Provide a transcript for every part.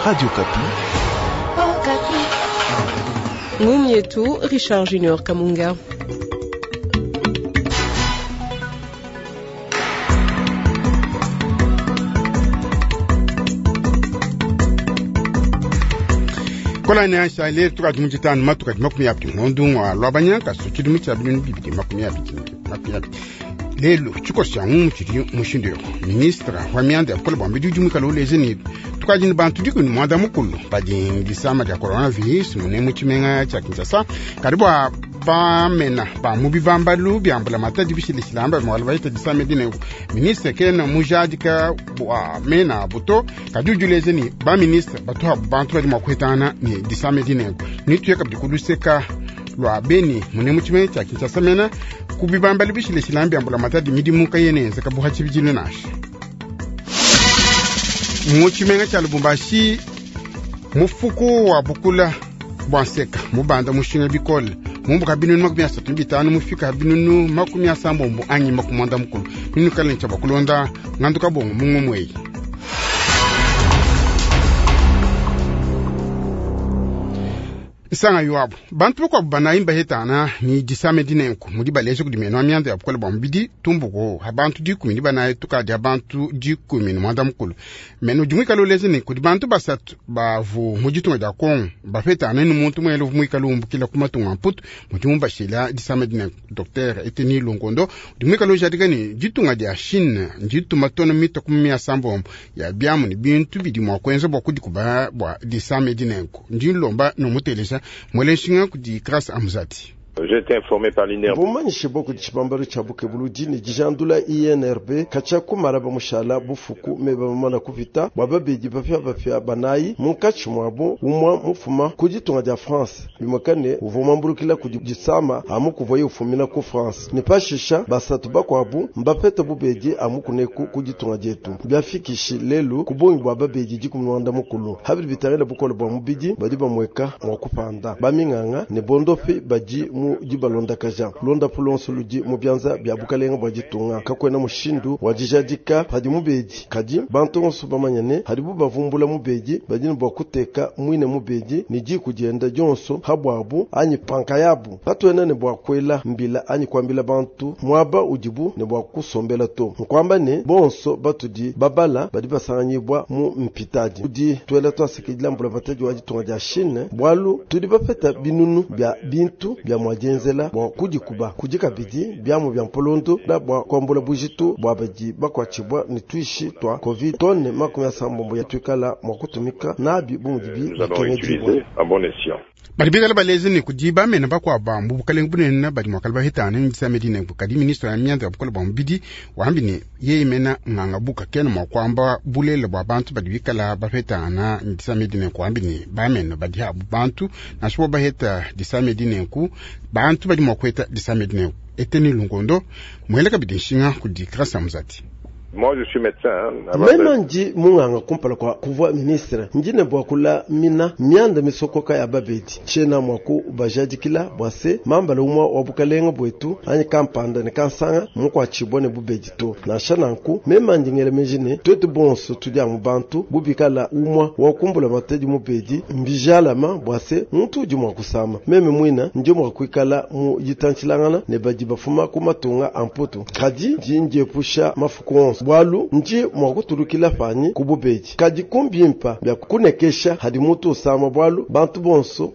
Radio Okapi. Ngumu yetu Richard Junior Kamunga. Kolani ashale tukadi mu tshitanu matuka di 20 ngondu ngwa lwabanya kasu tshidimu tshia 2020 lelu tshikoso tshia ngumu tshidi mushindu yo ministre wa mianda ya bukole bua mbidi udi muikale uleja ne tukadi ne bantu 18 badi disama dia coronavirus mune mu tshimenga tshia Kinshasa kadi bua bamena ba mu bibambalu bia mbulamatadi bishilashilamba bimwala bahita disama edi ministre kena mujadika bua mena abu to kadi udi uleja ne baministre batuhabu bantu badi mua kuhetangana ne disama edi nenku nituye kabidi kuluseka lua beni mune mu tshimenga tshia Kinshasa mena ku bibambalu bishilashilamba bia mbulamatadi midimu kayena yenzeka buha tshibidilu nansha mu tshimenga tshia Lubumbashi mufuku wa bukula bua nseka mubanda mushinga bikole mumbuka binunu 35 mufika binunu 80 anyi 90 ninu kale ntsha bakulonda nganduka bongo mungu mweyi. Nsanga yuabu bantu bakuabu banayi mbahetana ni disame dinenku mudi baleja kudi meno mianda ya bukole bua mubidi tumbuku ha bantu 14 tukadi ha bantu 18 meno udi muikale uleja ne kudi bantu basatu bavu mu ditunga dia Kongo bapetana ni muntu muele uvu muikale umbukila ku matunga mputu mudi mubashila disame dinenku. Dr Eteni Longondo udi muikale ujadika ne ditunga dia Chine ndituma tona mita 70 ya biamu ne bintu bidi mua kuenza bua kudikuba bua disame dinenku ndi nlomba nomuteleja mwele nshinga kudi Grâce Amzati. J'ai été informé par l'INRB. Bumanyishe bwa kudi tshibambalu tshia bukebuludi ne dijandula INRB katshia kumala bamushala bufuku me bamamana kupita bua babedi bapia banayi munkatshi muabu umwa mufuma ku ditunga dia France bimwekane uvua muambulukila kudi disama amu kuvuaye ufumina ku France ne pashisha basatu bakuabu mbapete bubedi amu kuneku ku ditunga dietu biafikishi lelu ku bungi bua babedi 18 habidi bitangila bukole bua mubidi badi bamweka mua kupanda baminganga ne bondopi badi mu dibalondakaja londapu lonso ludi mu bianza bia bukalenga bua ditunga kakwena mushindu wa dijadika padi mubedi kadi bantu bonso bamanya ne hadibu bavumbula mubedi badi ne bua kuteka mwine mubedi ne diku dienda dionso habwabu anyi panka yabu katuena ne bua kuela mbila anyi kuambila bantu muaba udibu ne bua kusombela to nkuamba ne bonso batudi babala badi basanganyibwa mu mpitadi udi tuela twasekidila mbulamatadi wa ditunga dia Chine bwalu tudi bapeta binunu bia bintu bia mua dienzela bua kudikuba kudi kabidi biamu bia mpolondu na bua kuambula bujitu bua badi bakuatshibua ne tuishi twa covid tone 80 ya tuikala mua kutumika nabi bu mudibi bikengedibua. Badi bikala baleze ne kudi bamene bakuabu ba mu bukalenge bunene badi mua kala bahetana ne disame dinenku kadi ministre ya mianda ya bukole bua mubidi wambi ne yeye mena nganga buka kena mua kuamba bulela bua bantu badi bikala bapetana ne disame dinenku wambi ne bamene badi abu bantu nansha bo baheta disame dinenku bantu badi mua kuheta disame dinenku Eteni Lungondo muele kabidi nshinga kudi Grâce Amzati. Moi, je suis médecin. Mema ndi munganga kumpala kwa kuvua ministre ndi ne bua kulamina mianda misokoka ya babedi tshiena mua kubajadikila bua se mambala umwa wa bukalenga bwetu anyi kampanda ne kansanga mukuatshibua ne bubedi to nansha nanku mema ndi ngela meji ne twetu bonso tudi amu bantu bubikala umwa wa kumbula matedi mubedi mbijalama bua se muntu udi mua kusama meme mwina ndi mua kuikala mu ditantshilangana ne badi bafuma ku matunga a mputu kadi ndi ndiepusha mafuku onso bwalu ndi mua kutulukila panyi ku bubedi kadi kumbimpa bia kunekesha hadi mutu usama bwalu bantu bonso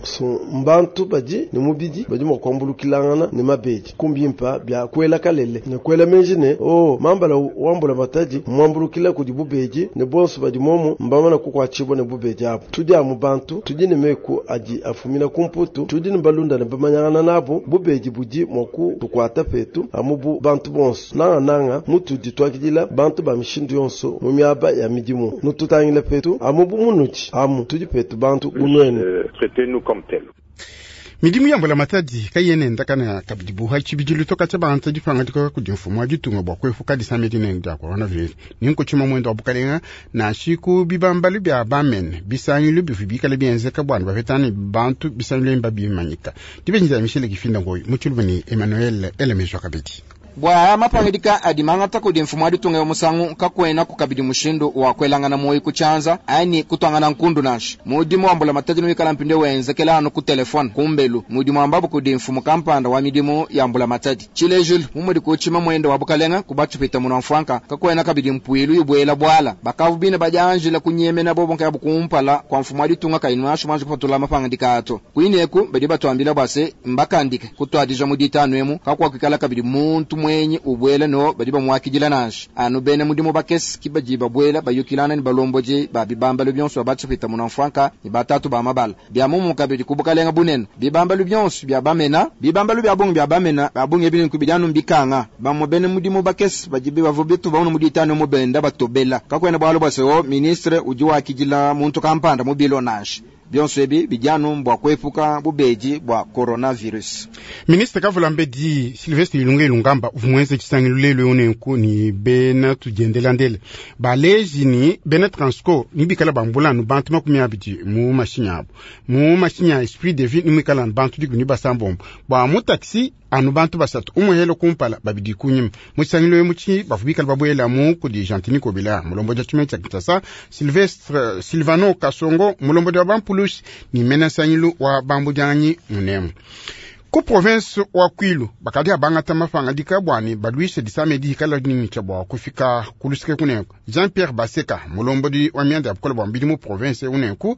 mbantu badi ne mubidi badi mua kuambulukilangana ne mabedi kumbimpa bia kuela kalele ne kuela menji ne oh mambala wambula matadi muambulukila kudi bubedi ne bonso badi momu mbamana kukuatshibua ne bubedi abu tudi amu bantu tudi ne meku adi afumina ku mputu tudi ne balunda ne bamanyangana nabo bubedi budi mua kutukuata petu amu bu bantu bonso nangananga mutudi tuakidila bantu ba mishindu yonso mu miaba ya midimu nututangila petu amu bu munudi amu tudi petu bantu bunwene. Traitez-nous comme tels. Midimu ya mbulamatadi kayena endakana kabidi buha tshibidilu toka tshia bantu dipangadika kudi mfumu wa ditunga bua kuepuka disame dinene dia coronavirus ninku tshima mwendo wa bukalenga nansha ku bibambalu bia bamene bisangilu bivua bikale bienzeka bua bapetane bantu bisangilu ebi mbabimanyika dibenji dia Michel Kifinda Ngoyi mu tshiluba ne Emmanuel Elemejwa kabidi. Bua aya mapangidika adi mangata kudi mfumu wa ditunga ewu musangu, kakuenaku kabidi mushindu wa kuelangana muoyi ku tshianza anyi kutuangana nkundu nansha. Mudimu wa mbulamatadi newikala mpindieu wenzekela anu ku telefone kumbelu, mudi muambabu kudi mfumu kampanda wa midimu ya mbulamatadi. Tshilejilu, mu mudi ku tshimamuende wa bukalenga ku batshipwita-munua-mfuanka, kakuena kabidi mpuilu ibuela buala. Bakavu bine badianjila kunyemena bobo nkayabu kumpala kua mfumu wa ditunga kayi nansha muanji kupatula mapangadika aa to. Kuine eku badi batuambila bua se, mbakandike kutuadija mu ditanu emu, kakuakuikala kabidi muntu muenyi ubuela no badi bamuakidila nansha. Anu bena mudimu bakese ki badi babuela bayukilangana ne balombodi ba bibambalu bionso bia batshipwita-munua-mfuanka ne ba tatu ba mabala. Bia muomumue kabidi ku bukalenga bunene, bibambalu bionso bia bamena. Bibambalu bia bungi bia bamena ba bungi ebi nunku bidi anu mbikanga. Bamue bena mudimu bakese badi bavua bitubamona mu ditanu emu benda batobela. Kakuena bualu bua se, o ministre udi wakidila muntu kampanda mu bilo nansha. Bionso ebi bidi anu mbua kuepuka bubedi bua coronavirus. Ministre Kavulambedi Sylvestre Ilunga Ilunkamba uvua muenze tshisangilu lelu eu nenku ne bena tudiendelandele baleji ne bena Transco ne bikala bambula anu bantu 20 mu mashinyi abu. Mu mashinyi a Esprit de Vie ne muikala anu bantu 16 bua mu taxi anu bantu 3, umue helo kumpala 2 kunyima. Mu tshisangilu emu tshi bavua bikala babuelamu kudi Gentiny Ngobila mulombodi wa tshimenga tshia Kinshasa, Sylvestre Silvano Kasongo mulombodi wa bampulushi ne mena nsangilu wa bambudianganyi munemu. Ku province wa Kwilu bakadi abangata mapangadika bua ne baluishe disama edi hikala dinitsha bua kufika ku luseke kunenku. Jean-Pierre Baseka mulombodi wa mianda ya bukole bua mubidi mu province unenku,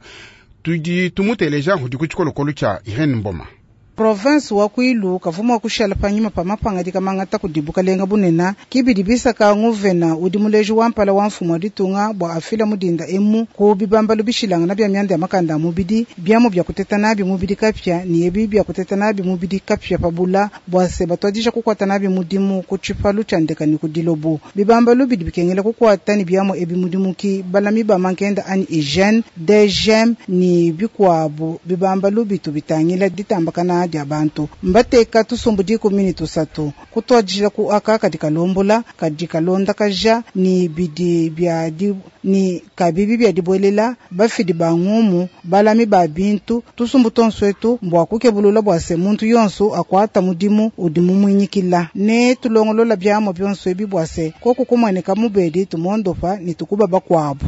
tudi tumuteleja udi ku tshikolokolo tshia Irene Mboma. Province wa Kwilu kavua mua kushala panyima pa mapangadika mangata kudi bukalenga bunena kibidi bisaka nguvena udi muleji wa mpala wa mfumu wa ditunga bua afila mudinda emu ku bibambalu bishilangana bia mianda ya makanda a mubidi, biamu bia kuteta nabi mubidi kapia ne ebi bia kuteta nabi mubidi kapia pabula bua se batuadija kukuata nabi mudimu ku tshipalu tshia ndeka ne ku dilobo. Bibambalu bidi bikengela kukuata ne biamu ebi mudimu ki balami ba mankenda anyi hygiene, DGM ne bikuabu bibambalu bitu bitangila ditambakana dia bantu. Mbateka tusumbu 13 kutuadijila ku aka kadi kalombola, kadi kalondakaja ne bidi bia di, ne kabibi bia dibuelela, bafidi ba ngumu, balami ba bintu, tusumbu tonso etu mbua kukebulula bua se muntu yonso akuata mudimu udi mumuinyikila. Ne tulongolola biamua bionso ebi bua se koku kumueneka mubedi tumondopa ne tukuba bakuabu.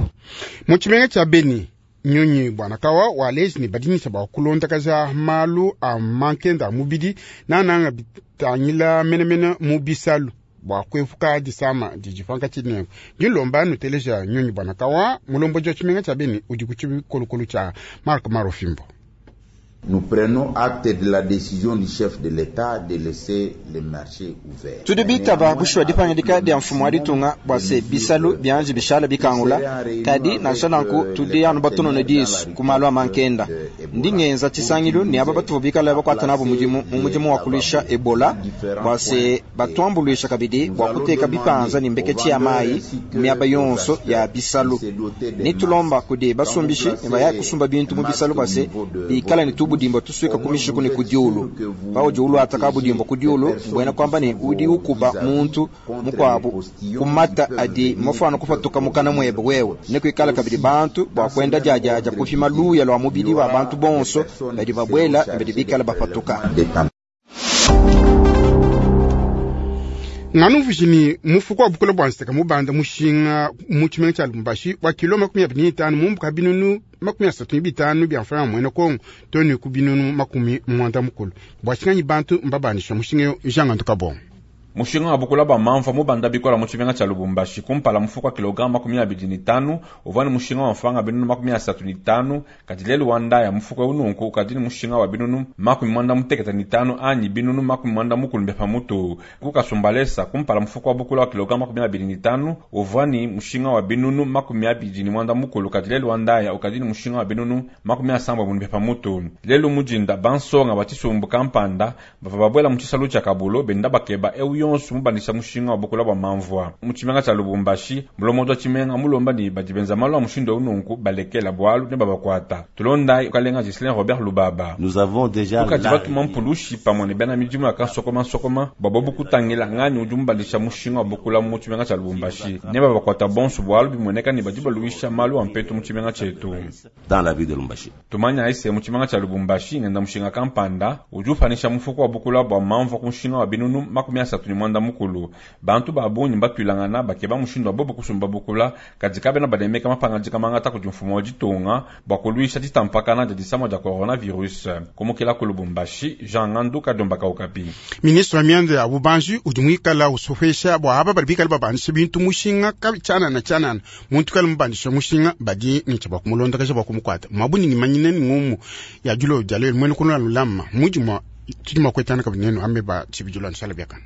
Mu tshimenga tshia Beni, Nyunyi Bwanakawa wa leji ne badinyisha bua kulondakaja malu a mankenda a mubidi nananga bitangila menemene mu bisalu bua kuepuka disama didi pankatshi nenku. Dilomba nuteleja Nyunyi Bwanakawa mulombodi wa tshimenga tshia Beni udi ku tshikolokolo tshia Mark Marofimbo. Nous prenons acte de la décision du chef de l'État de laisser les marchés ouverts. Tudi bitaba bushuwa dipangidika dia mfumu wa ditunga bua se bisalu bianji bishala bikangula, kadi nansha nanku tudi anu batunone disu ku malu a mankenda. Ndi ngenza tshisangilu ne aba batuvua bikale bakuata nabu mudimu mu mudimu wa kuluisha Ebola bua se batuambuluisha kabidi bua kuteka bipanza ne mbeketshi ya mayi mu miaba yonso ya bisalu. Ne tulomba kudi basumbishi ne baya kusumba bintu mu bisalu bua se bikale ne tubudimbo tusuika ku mishiku ne ku diulu. Paudi uluata kabudimbo ku diulu, mbuena kuamba ne udi ukuba muntu mukuabu ku mata adi mafuana kupatuka mukana muebe wewe. Ne kuikala kabidi bantu bua kuenda diadiadia kupima luya lua mubidi wa bantu bonso badi babuela ne badi bikale bapatuka. Nganu mvujini mufuko wa bukole bua nseka mubanda mushinga mu tshimenga tshia Lubumbashi wa kilo 25 mumbuka binunu 35 bia mfranga muena Kongo to ne ku binunu 90. Bua tshinganyi bantu mbabandisha mushinga yo Jean Kabongo. Mushinga wa bukula bua mamvua mubanda bikola mu tshimenga tshia Lubumbashi kumpala mufuko wa kilogramme 25 uvua ne mushinga wa mfranga binunu 35, kadi lelu wa ndaya mufuko eu nunku ukadi ne mushinga wa binunu 95 anyi binunu 90 bia pamutu. Ku Kasumbalesa kumpala mufuko wa bukula wa kilogramme 25 uvua ne mushinga wa binunu 29, kadi lelu wa ndaya ukadi ne mushinga wa binunu 70 bia pamutu. Lelu mujinda bansonga ba tshisumbu kampanda bavua babuela mu tshisalu tshia Kabulo benda bakeba eu yonso mubandisha mushinga wa bukula bua mamvua. Mu tshimenga tshia Lubumbashi, mulombodi wa tshimenga mulomba ne badi benza malu a mushindu eu nunku balekela bualu ne babakuata. Tulonda ukalenga Ghislain Robert Lubaba. Nous avons déjà Tukadi la batuma mpulushi pamue ne bena midimu ya kansokoma nsokoma bua bobu kutangila ngani udi mubandisha mushinga wa bukula mu tshimenga tshia Lubumbashi. Ne babakuata bonso bualu bimueneka ne badi baluisha malu a mpetu mu tshimenga tshietu. Dans la ville de Lubumbashi. Tumanya ese mu tshimenga tshia Lubumbashi ngenda mushinga kampanda udi upanisha mufuko wa bukula bua mamvua ku mushinga wa binunu 34. muanda mukulu. Bantu ba bungi mbatuilangana bakeba mushindu wa bobu kusumba bukula, kadi kabena banemeka mapangadika mangata kudi mfumu wa ditunga bua kuluisha ditampakana dia disama dia coronavirus. Kumukila ku Lubumbashi, Jean Ngandu Kadiomba ka Okapi. Ministre wa mianda ya bubanji udi muikala usopesha bua aba badi bikale babandisha bintu mushinga tshianana tshianana. Muntu kale mubandisha mushinga badi ne tshia bua kumulondakaja bua kumukuata mabuni manyine ni ngumu ya dilo dia lelu. Mwene kunula lulama mudi mwa tudi mwa kuetana kabidi nenu ambe ba tshibidilu nsala biakana.